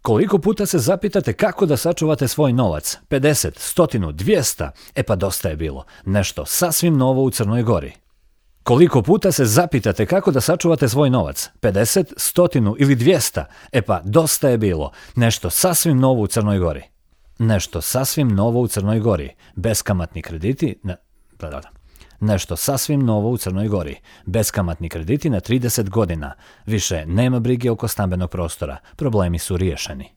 Koliko puta se zapitate kako da sačuvate svoj novac? 50, 100, 200? E pa dosta je bilo. Nešto sasvim novo u Crnoj Gori. Koliko puta se zapitate kako da sačuvate svoj novac? 50, 100 ili 200? E pa dosta je bilo. Nešto sasvim novo u Crnoj Gori. Nešto sasvim novo u Crnoj Gori. Beskamatni krediti Nešto sasvim novo u Crnoj Gori. Beskamatni krediti na 30 godina. Više nema brige oko stambenog prostora. Problemi su riješeni.